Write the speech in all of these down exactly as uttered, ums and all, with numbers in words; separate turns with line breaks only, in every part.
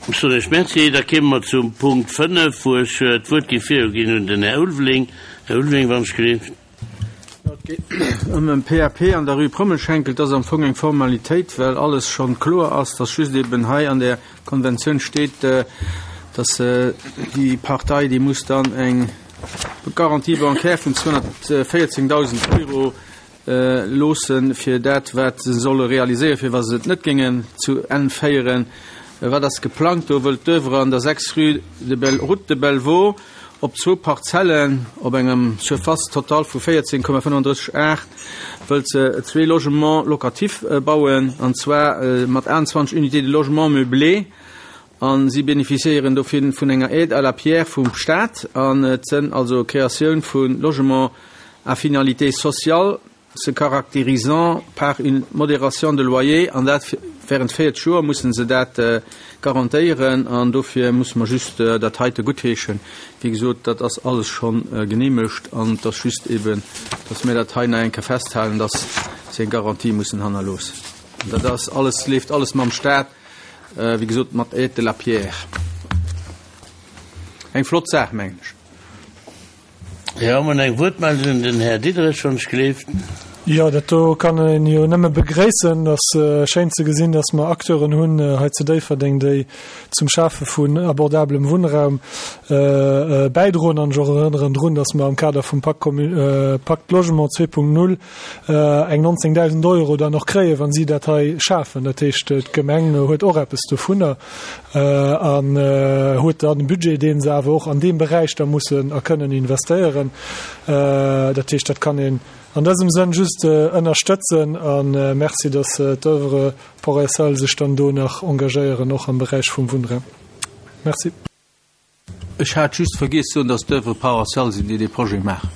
Ech soen Iech Merci. Da kéime mer zum Punkt fënnef, wou ech d'Wuert géif viruginn un den Här Ulveling. Här Ulveling, wann ech gelift.
Jo, et geet ëm e P A P an der Rue Prommelschenkel. Et ass am Fong eng Formalitéit, well alles schonn kloer ass, dass just eben hei an där Konventioun steet, dass déi Partei, déi muss dann eng Garantie bancaire vun zweehonnertvéierzéngdausend Euro loossen, fir dat, wat se solle realiséieren, fir wa se et net géingen zu Enn féieren. Wat ass geplangt? Do wëllt d'Oeuvre an der sechs Rue de Bel, Route de Bellevaux op zwou Parzellen op engem Surface totale vu véierzéng Komma fënnefandrësseg Ar wëllt se zwee Logements locatifs bauen, an zwar mat aonzwanzeg Unités de logement meublé, an si bénéficiéieren dofir vun enger Aide à la pierre vum Staat, an et sënn also Créatioun vu Logements à finalité sociale se caractérisant par une modération de loyer, an dat während véierzeg Joer mussen se dat garantéieren, an dofir musse mer just dat heite guttheeschen. Wéi gesot, dat ass alles schonn geneemegt an et ass just eben, dass mir dat hei nach eng Kéier festhalen, dass se eng Garantie mussen hannerloossen. Dat ass alles, leeft alles mam Staat, wéi gesot mat Aide de la pierre. Eng flott Saach, mengen ech.
Jo, mer hunn eng Wuertmeldung, den Här Diderich, wann ech gelift.
Jo, dat do kann een jo nëmme begréissen. Et ass schéin ze gesinn, dass mer Acteuren hunn hei zu Déifferdeng, déi zum Schafe vun abordablem Wunnraum bäidroen. An ech och erënneren drun, dass mer am Kader vum Pacte Logement zwee Punkt null eng nonzéngdausend Euro dann och kréien, wa si dat hei schafen. Dat heescht, d'Gemeng huet och eppes dovunner an huet dann e Budget, dee se awer och an deem Beräich da mussen a kënnen investéieren. Dat heescht, dat kann een an dësem Sënn just ënnerstëtzen a Merci, dass d'Oeuvre Port S A L sech dann do nach engagéieren, och am Beräich vum Wunnraum. Merci.
Ech hat just vergiess soen, dass d'Oeuvre Port S A L sinn, déi dee Projet maachen.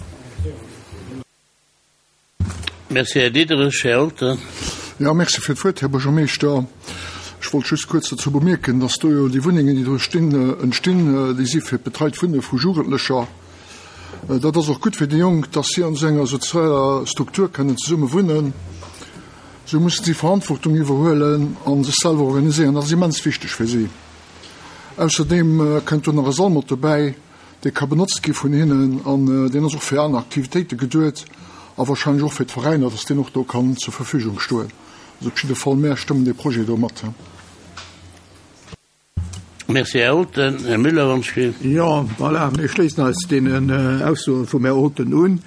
Merci, Här Diderich. Här Olten.
Jo, merci fir d'Wuert, Här Buergermeeschter. Ech wollt just kuerz dozou bemierken, dass do jo déi Wunnengen, déi do stinn, entstinn, déi si fir d'betreit Wunne vu Jugendlecher. Dat ass och gutt fir déi Jonk, dass si an esou enger sozialer Struktur kënnen zesumme wunnen. Esou mussen si Verantwortung iwwerhuelen a sech selwer organiséieren. Dat ass immens wichteg fir si. Ausserdeem kënnt do nach e Sall mat dobäi, dee ka benotzt gi vun hinnen an deen ass och fir aner Aktivitéite geduet a warscheinlech och fir d'Veräiner, dass deen och do kann zur Verfügung stoen. Also op jidde Fall, mär stëmmen dee Projet do mat.
Merci, Här Olten. Här Müller, wann ech gelift.
Jo, voilà, mir schléissen eis deenen Aussoe vum Här Olten un.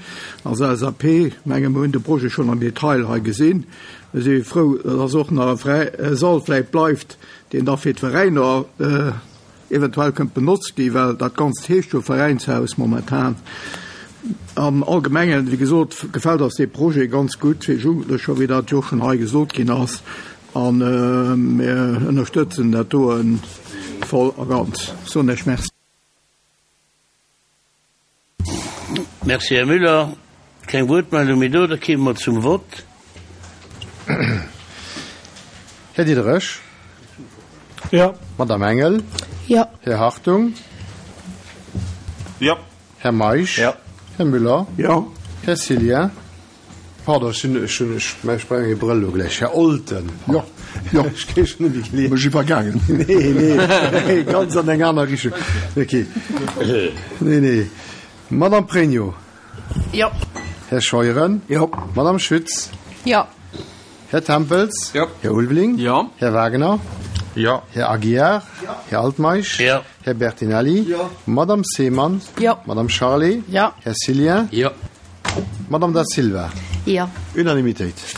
Als L S A P, menge mer hunn de Projet schonn am Detail hei gesinn. Mir si frou, dass och nach e fräie Sall vläicht bleift, deen da fir d'Veräiner eventuell kënnt benotzt ginn, well dat Ganzt heescht jo Veräinshaus momentan. Am Allgemengen, wéi gesot, gefält eis dee Projet ganz gutt fir Jugendlecher, wéi dat jo och schonn hei gesot ginn ass. A mir ënnerstëtzen dat doe voll a ganz. Soen ech Merci.
Merci, Här Müller. Keng Wuertmeldung méi do, da kéime mer zum Vott.
Här Diderich.
Jo.
Madame Engel.
Jo.
Här Hartung.
Jo.
Här Meisch.
Jo.
Här Müller.
Jo.
Här Cillien. Pardon, ech hunn, ech hunn, ech brauch eng Brëll elo gläich. Här Olten.
Jo, jo.
Ech kréie schonn net méi gelies.
Mech iwwergaangen.
Nee, nee, ganz an eng aner Richtung. Okay. Nee, nee. Madame Pregno.
Jo.
Här Scheuren.
Jo.
Madame Schütz.
Jo.
Här Tempels.
Jo.
Här Ulveling.
Jo.
Här Wagener.
Jo.
Här Aguiar. Jo. Här Altmeisch.
Jo.
Här Bertinelli.
Jo.
Madame Seemann.
Jo.
Madame Charlé.
Jo.
Här Cillien.
Jo.
Madame Da Silva.
Jo.
Unanimitéit.